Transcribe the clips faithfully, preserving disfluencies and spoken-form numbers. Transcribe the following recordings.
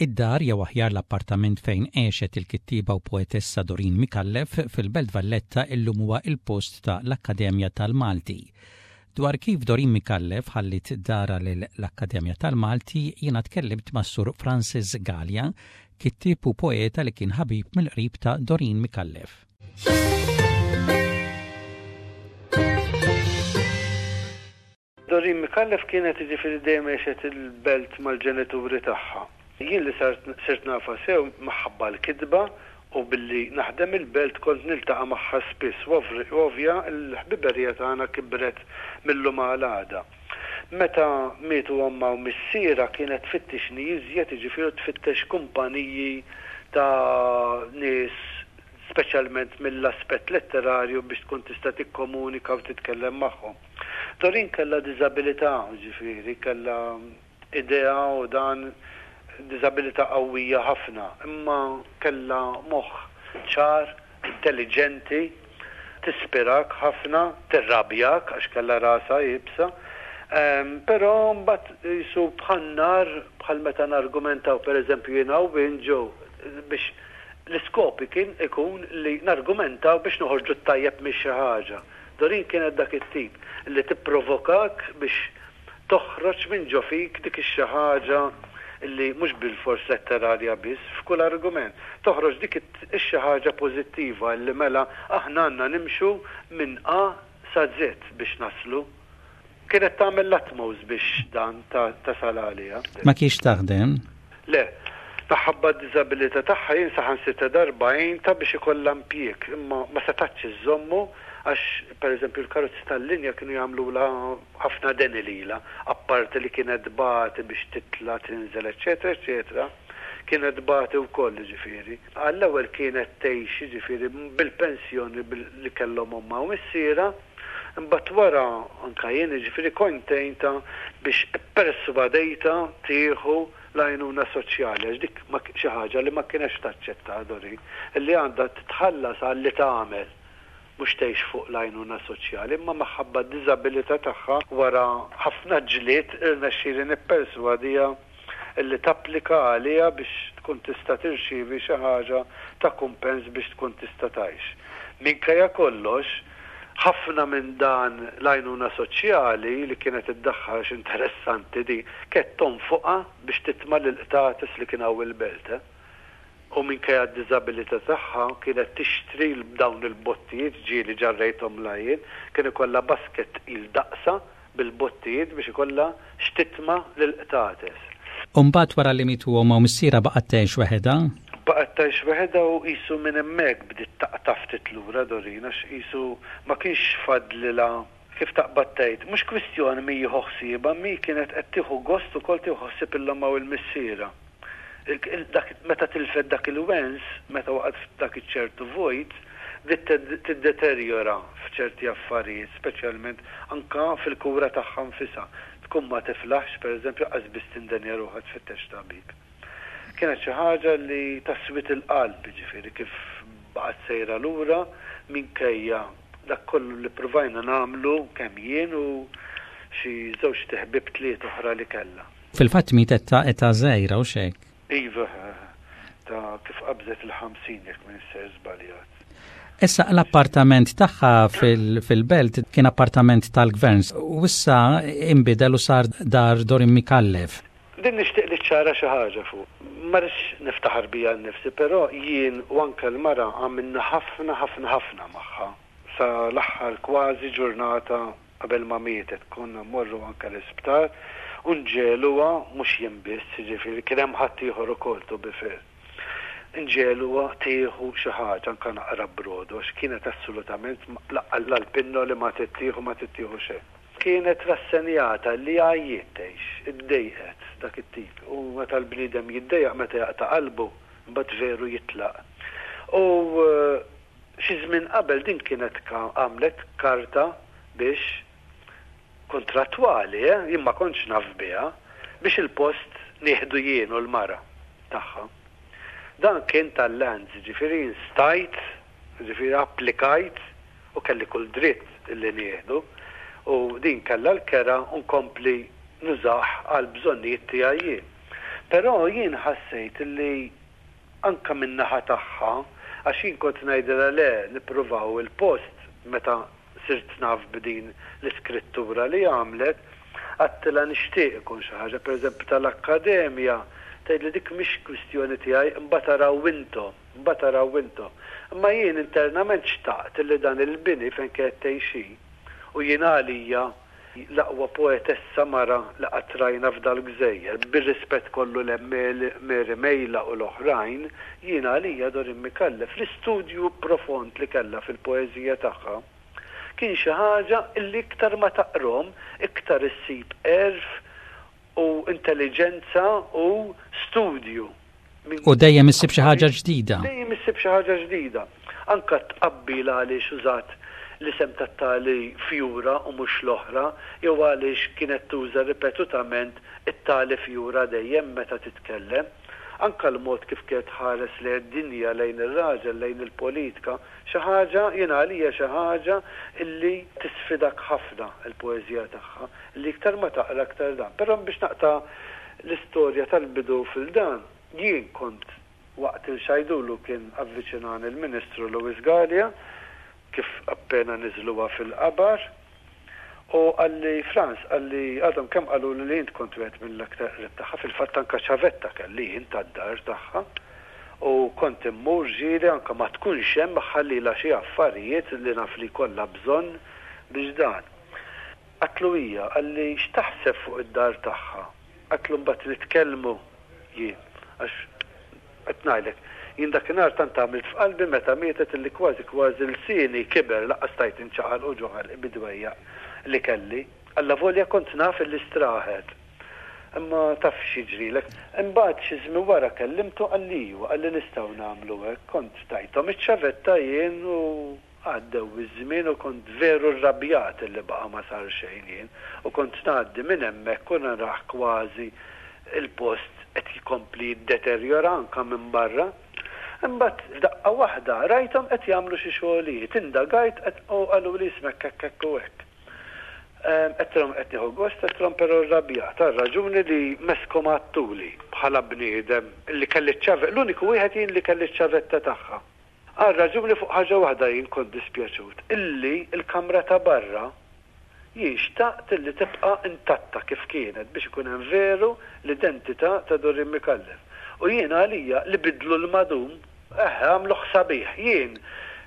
Id-dar jew aħjar l-appartament fejn għexet il-kittiba u poetessa Doreen Micallef fil-Belt Valletta illum huwa il-post ta' l-Akkademja tal-Malti. Dwar kif Doreen Micallef ħallit darha l-Akkademja tal-Malti, jiena tkellimt ma' Sur Francis Gallia, kittib u poeta li kien ħabib mill-qrib ta' Doreen Micallef. Doreen Micallef kienet, jiġifieri, dejjem għexet il-Belt mal-ġenituri tagħha. Jien li sirt nafha sew minħabba l-kitba u billi naħdem il-Belt kont niltaqa' magħha spiss u ovvja l-ħbiberija tagħna kibret mil-lum għal għada. Meta mietu ommha u missiera kienet tfittixni iżjed, jiġifieri tfittex kumpaniji ta' nies, speċjalment mill-aspett letterarju, biex tkun tista' tikkomunika u titkellem magħhom. Doreen kellha diżabilità, ġifieri kellha idea u dan diżabilità qawwija ħafna, imma kellha moħħ ċar, intelligenti, tispirak ħafna, tirrabjak għax kellha rasha iebsa. Però mbagħad jisu bħal nar, bħal meta nargumentaw, pereżempju, jiena u ġew biex l-iskopi kien ikun li nargumentaw biex noħorġu tajjeb minn xi ħaġa. Doreen kienet dak it-tip li tipprovokak biex toħroġ minn ġo fik dik ix-xi ħaġa li mhux bil-fors letterarja biss, f'kull argument. Toħroġ dik ix-xi ħaġa pożittiva li mela aħna għandna nimxu minn A sa Z biex naslu. Kienet tagħmel l-utmost biex dan tasal għalija. Ma kienx taħdem? Le, minħabba d-diżabilità tagħha jien saħansitra darba għintha biex ikollha impjieg, imma ma setgħetx iżżommu għax, pereżempju, l-karozzi tal-linja kienu jagħmlulha ħafna deni lilha, apparti li kienet tbati biex titla', tinżel, eċetera, eċetera, kienet tbati wkoll, ġifieri. Għall-ewwel kienet tgħix, ġifieri, bil-pensjoni li kellhom ommha u missierha, imbagħad wara anka jien, ġifieri, kont għintha biex ipperswadejtha tieħu l-għajnuna soċjali, għax dik xi ħaġa li ma kienx taċċetta Doreen, li għandha titħallas għal li tagħmel, mhux tgħix fuq l-għajnuna soċjali, imma minħabba d-diżabilità tagħha, wara ħafna ġlied irnexxieli nipperswadiha illi tapplika għaliha biex tkun tista' tirċievi xi ħaġa ta' kumpens biex tkun tista' tgħix. Minkejja kollox, ħafna minn dan l-għajnuna soċjali li kienet iddaħħal, interessanti di, kienet tonfoqha biex titma' l-qtates li kien hawn il-Belt. Eh? U minkejja d-diżabilità tagħha kienet tixtri dawn il-bottijiet, ġieli ġarrejthom lajin, kien ikollha basket il daqsa bil-bottijiet biex ikollha x'titma' l-qtates. U mbagħad wara li mietu ommha u missierha baqgħet tgħix waħedha? Baqgħet tgħix waħedha u qisu minn hemmhekk bdiet taqta' ftit lura Doreen, għax qisu ma kienx fadlilha, kif taqbad tgħid, mhux kwistjoni min jieħu ħsiebha, mi kienet qed tieħu gost ukoll tieħu ħsieb 'il ommha u l-missierha. Meta tilfet dak il-wens, meta waqgħet f'dak iċ-ċertu vojt, bdiet tiddeterjora f'ċerti affarijiet, speċjalment anka fil-kura tagħha nfisha. Tkun ma tiflaħx, pereżempju, qas biss tindenja ruħha tfittex tabib. Kienet xi ħaġa li taswit il-qalb, ġifieri, kif baqgħet sejra lura minkejja dak kollu li provajna nagħmlu kemm jien u xi żewġ ħbieb tliet oħra li kellha. Fil-fatt mietet ta' età żgħira u xek. Iva, ta' kif qabżet il-ħamsin, jekk m'iniex sejjer żbaljat. Issa l-appartament tagħha fil-Belt kien appartament tal-gvern u issa imbidel u sar dar Doreen Micallef. Din nixtieq li ċara xi ħaġa fuq. Ma rridx niftaħar bija nnifsi, però jien u anke l-mara għamilna ħafna, ħafna, ħafna magħha. Sa l-aħħar kważi ġurnata qabel ma mietet konna mmorru anke l-isptar u nġegħluha, mhux jien biss, jiġifieri kien hemm ħaddieħor ukoll, to be fair. Nġegħluha tieħu xi ħaġa, anke naqra brodu, għax kienet assolutament l-pinnoli ma tittieħu, ma tittieħu xejn. Kienet rassenjata li għajjiet tgħix, iddejqet, dak it-tip. U meta l-bniedem jiddejjaq, meta jaqta' qalbu, mbagħad veru jitlaq. U xi żmien qabel din kienet għamlet karta biex kontrattwali, eh? Jien ma kontx naf biha, biex il-post nieħdu jien u l-mara tagħha. Dan kien tal-lands, ġifieri stajt, ġifieri applikajt u kelli kull dritt li nieħdu u din kellha l-kera u nkompli nużah għal bżonnijiet tiegħi jien. Però jien ħassejt li anka min-naħa tagħha, għax jien kont ngħidilha le nippruvaw il-post meta sirt naf b'din l-iskrittura li għamlet, għedtilha nixtieq ikun xi ħaġa, pereżempju tal-akkademja, tgħidli dik mhix kwistjoni tiegħi, imbagħad araw intom, imbagħad araw intom. Imma jien internament xtaqt li dan il-bini fejn kienet tgħix hi, u jien għalija l-aqwa poetessa mara li qatt rajna f'dal-gżejjer, bir-rispett kollu lil Mary Mejla u l-oħrajn, jien għalija Doreen Micallef, l-istudju profond li kellha fil-poeżija tagħha, kien xi ħaġa illi iktar ma taqrom, iktar issib għerf u intelligenza u studju. U dejjem issib xi ħaġa ġdida. Dejjem issib xi ħaġa ġdida. Anka tqabbil għaliex użat l-isem tat-tali fjura u mhux l-oħra, jew għaliex kienet tuża ripetutament it-tali fjura dejjem meta titkellem. Anka l-mod kif kienet ħares lejn id-dinja, lejn ir-raġel, lejn il-politika, xi ħaġa jien għalija xi ħaġa illi tisfidak ħafna il-poeżija tagħha, li iktar ma taqra aktar dan. Però biex naqta' l-istorja tal-bidu fil-dan, jien kont waqt il-xajdulu kien avviċinani il-Ministru Louis Galea, kif appena niżluha fil-qabar, u qalli Frans, qalli għadhom kemm qalu li int kont wieħed mill-aktar qrib tagħha, fil-fatt anka ċavetta kelli jien tad-dar tagħha, u kont immur ġieli anka ma tkunx hemm ħallila xi affarijiet li naf li kollha bżonn biex dan. Għedtlu hija, qalli x'taħseb fuq id-dar tagħha? Għedtlu mbagħad nitkellmu jien, għax qed ngħidlek, jien dakinhar tant għamilt f'qalbi meta mietet illi kważi kważi lsieni kiber laqqas stajt inċaqal u ġo ħalqi bid-dwejjaq li kelli. Alla volja kont naf illi straħet. Imma taf x'jiġrilek. Imbagħad xi żmien wara kellimtu qalli iva, qalli nistgħu nagħmlu hekk. Kont tajthom iċ-ċavetta jien u għaddew iż-żmien u kont veru rrabjat illi baqa' ma sar xejn jien. U kont ngħaddi minn hemmhekk u narah kważi il-post qed jkompli jiddeterjora anka minn barra. Imbagħad f'daqqa waħda rajthom qed jagħmlu xi xogħlijiet, indagajt qed u qalu li ismek hekk hekk u hekk. Għedtilhom qed nieħu gost, għedtilhom però rrabjat għal raġuni li meskom għattuli bħala bniedem li kelli ċ-ċavetta, l-uniku wieħed jien li kelli ċ-ċavetta tagħha. Għal raġuni fuq ħaġa waħda jien kont dispjaċut, illi l-kamra ta' barra jien xtaqt illi tibqa' intatta kif kienet biex ikun hemm veru l-identità ta' Doreen Micallef. U jien għalija li bidlu l-madum, eħe, għamluh sabiħ. Jien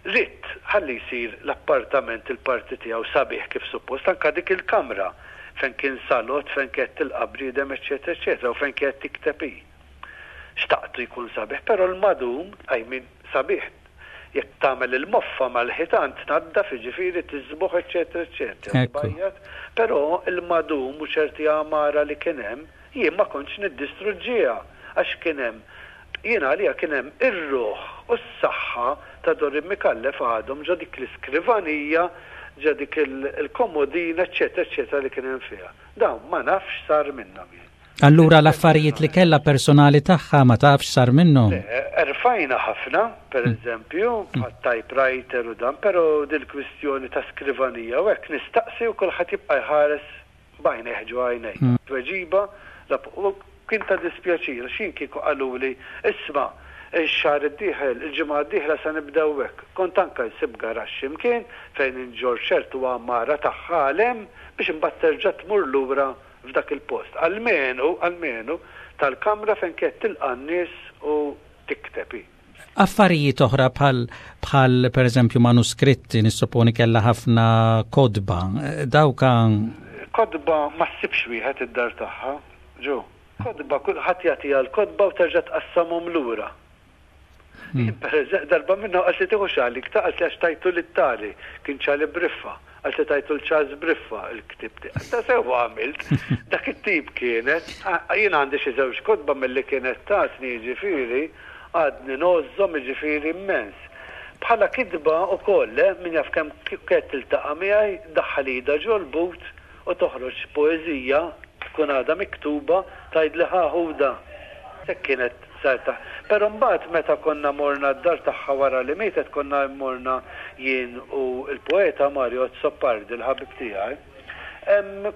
ridt ħalli jsir l-appartament il-parti tiegħu sabiħ kif suppost, anka dik il-kamra fejn kien salott, fejn kienet tilqa' bniedem, eċċetera, eċċetera, u fejn kienet tikteb hi. Xtaqtu jkun sabiħ, però l-madum, I mean, sabiħ, jekk tagħmel il-moffa mal-ħitan tnaddaf, jiġifieri tiżbuħ, eċċetera, eċċetera. Bajjat, però il-madum u ċerti għamara li kien hemm, jien ma kontx niddistruġġiha għax kien hemm, jien għalija kien hemm ir-ruħ u s-saħħa ta' Doreen Micallef għadhom ġo dik l-iskrivanija, ġo dik il-komodina, eċċetera, eċċetera li kien hemm fiha. Dawn ma nafx sar minnhom jien. Allura l-affarijiet li kellha personali tagħha ma tafx sar minnhom? Le, erfajna ħafna, per eżempju, bħal typewriter u dan, però dil-kwistjoni ta' skrivanija u hekk nistaqsi u kulħadd jibqa' jħares b'għajnejh ġo għajnejh. Tweġiba, u kien ta' dispjaċir, x'in kieku qaluli, isma' ix-xahar id-dieħel, il-ġimgħa d-dieħla se nibdew hekk. Kont anke nsib garaxx imkien fejn inġorr ċertu għamara tagħha għal hemm biex imbagħad terġa' tmur lura f'dak il-post. Almenu, almenu tal-kamra fejn kienet tilqa' n-nies u tikteb hi. Affarijiet oħra bħal, bħal per eżempju manuskritti, nissoponi kellha ħafna kodba, dawka Kodba ma ssibx wieħed id-dar tagħha, ġo. Kodba, kulħadd jagħtiha l-kodba u terġa' tqassamhom lura. Jien per eżempju, darba minnhom qalt li tieħu xali, qalt li għax tajtu lit-tali, kien ċali briffa, qalt li tajtu l-Charles Briffa il-ktib tiegħek. Ta' sewwa għamilt, dak it-tip kienet, jien għandi xi żewġ kodba milli kienet tatni, jiġifieri, għadni ngħożżhom, jiġifieri immens. Bħala kitba wkoll, eh, min jaf kemm kienet tiltaqa' miegħi, daħħal idha ġol-but u toħroġ poeżija tkun għadha miktuba tgħidli ħa ħuda. Hekk kienet sarta. Però mbagħad meta konna morna d-dar tagħha wara li mietet, konna morna jien u l-poeta Mario Azzopardi, l-ħabib tiegħi.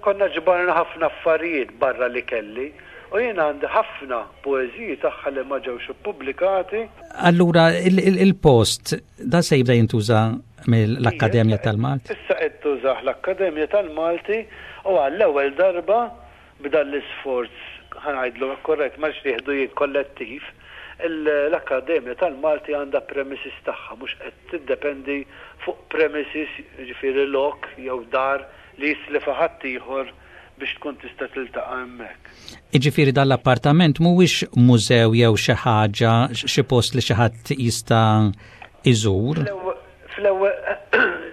Konna ġbarna ħafna affarijiet barra li kelli U jien għandi ħafna poeżiji tagħha li ma ġewx ippubblikati. Allura il-post da se jibda jintuża mill-Akkademja tal-Malti? Issa qed tużah l-Akkademja tal-Malti u għall-ewwel darba b'dan l-isforz, ħa ngħidlu korrett, ma jieħdu jien, kollettiv, l-Akkademja tal-Malti għandha premises tagħha, mhux qed tiddependi fuq premises, ġifieri lok jew dar li jislifa ħaddieħor biex tkun tista' tiltaqa' hemmhekk. Iġifieri dal-appartament mhuwiex mużew jew xi ħaġa, xi post li xi ħadd jista' iżur? Fl-ewwel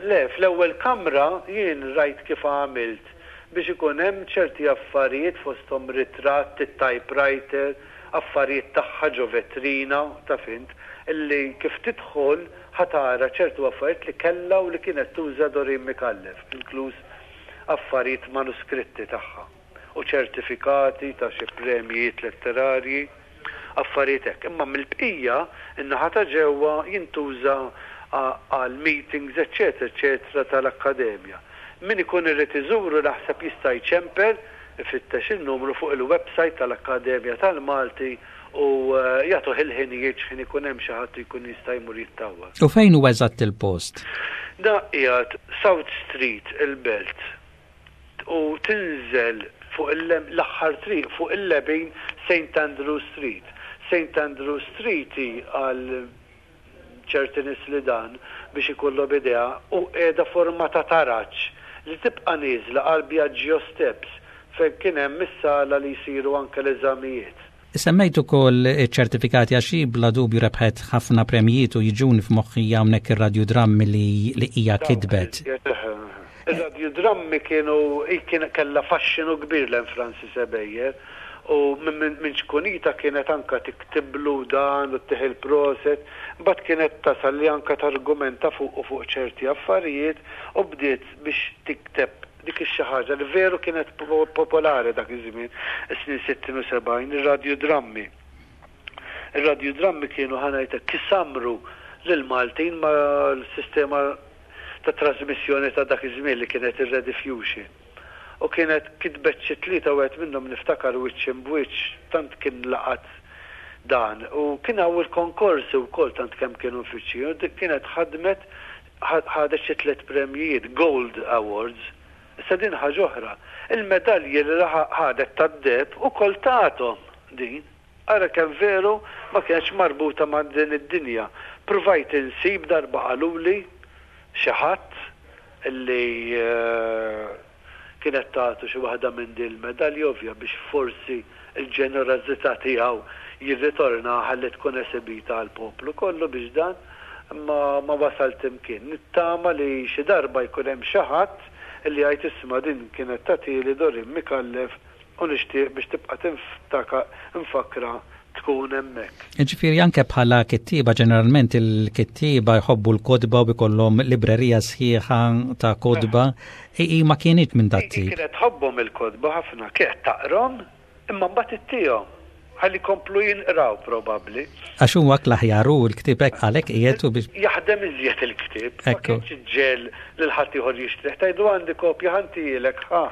le, fl-ewwel kamra jien rajt kif għamilt biex ikun hemm ċerti affarijiet, fosthom ritratt, it-typewriter, affarijiet tagħha ġo vetrina, ta' fint, illi kif tidħol ħa tara ċertu affarijiet li kellha u li kienet tuża Doreen Micallef, inkluż affarijiet manuskritti tagħha u ċertifikati ta' xi premjijiet letterarji, affarijiet hekk. Imma mill-bqija, in-naħa ta' ġewwa jintuża għal meetings, eċċetera, eċċetera, tal-akkademja. Min ikun irid iżuru naħseb jista' jċempel, ifittex il-numru fuq il-website tal-Akkademja tal-Malti u eh, jagħtuh il-ħinijiet x'ħin ikun hemm xi ħadd jkun jista' jmur jittawwal. U fejn huwa eżatt il-post? Da qiegħed South Street, il-Belt, u tinżel fuq l-aħħar triq fuq il-lemin, Saint Andrew Street. Saint Andrew Street għal ċerti nies li dan biex ikollhom idea u qiegħda forma ta' taraġ li tibqa' nieżla għal Biagio Steps, fejn kien hemm is-sala li jsiru anke l-eżamijiet. Semmejt ukoll ċertifikati għax bla dubju rebħet ħafna premjiet u jiġuni f'moħħi hawnhekk ir-radjudrammi li li hija kitbet. Ir-radjudrammi kienu kien kellha faxxinu kbir lejn Francis Ebejer u minn ċkunita kienet anka tiktiblu dan u ttih il-prosit, mbagħad kienet tasal li anka targumenta fuq u fuq ċerti affarijiet u bdiet biex tikteb dik ix-xi ħaġa li veru kienet popolari dak iż-żmien, is-snin sittin u sebgħin, ir-radjudrammi. Ir-radjudrammi kienu, ħa ngħidlek, kisamru lil Maltin ma l-sistema ta' trasmissjoni ta' dak iż-żmien li kienet ir-Rediffusion. U kienet kitbet xi tlieta, wieħed minnhom niftakar Wiċċ Imb'Wiċċ, tant kien laqat dan. U kien hawn il-konkorsi wkoll, tant kemm kienu mfittxin. U dik kienet ħadmet, ħadet xi tliet premjijiet, Gold Awards. Issa din ħaġa oħra. Il-medalji li ħadet tad-deheb ukoll tathom din. Ara kemm veru ma kienx marbuta ma' din id-dinja. Provajt insib, darba qaluli xi ħadd illi eh, kienet tagħtu xi waħda minn din il-medalji, ovvja biex forsi il-ġenerożità tiegħu jirritorna ħalli tkun esibita għal poplu kollu biex dan ma, ma wasalt imkien. Nittama li xi darba jkun hemm xi ħadd illi jgħid, "Isma', din kienet tagħtili Doreen Micallef u nixtieq biex tibqa' tinftaka mfakra tkun hemmhekk." Ġifieri anke bħala kittieba, ġeneralment il-kittieba jħobbu l-kotba u jkollhom librerija sħiħa ta' kotba. I ma kienet minn dat tip. Kienet tħobbhom il-kotba ħafna, kienet taqrahom imma mbagħad ittihom ħalli komplu jinqraw probabbli. Għax huwa l-aħjar u l-ktieb hekk għalhekk qiegħed u biex Jaħdem iżjed il-ktieb. Ma Ekku. kienx iġġiegħel lil ħadd ieħor jixtrih. Tgħidu, "Għandi kopja, ħa ntihielek, ħa."